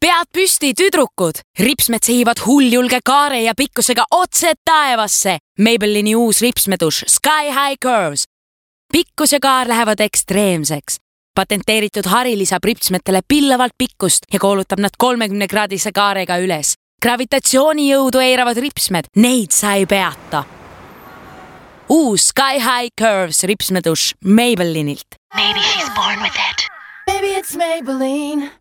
pead püsti, tüdrukud! Ripsmed sehivad hulljulge kaare ja pikkusega otse taevasse. Maybellini uus ripsmeduš Sky High Curves. Pikkus ja kaar lähevad ekstreemseks. Patenteeritud hari lisab ripsmetele pillavalt pikkust ja koolutab nad 30-kraadise kaarega üles. Gravitatsioonijõudu eiravad ripsmed, neid sa ei peata. Uus Sky High Curves ripsmeduš Maybellinilt. Maybe she's born with it. Maybe it's Maybelline.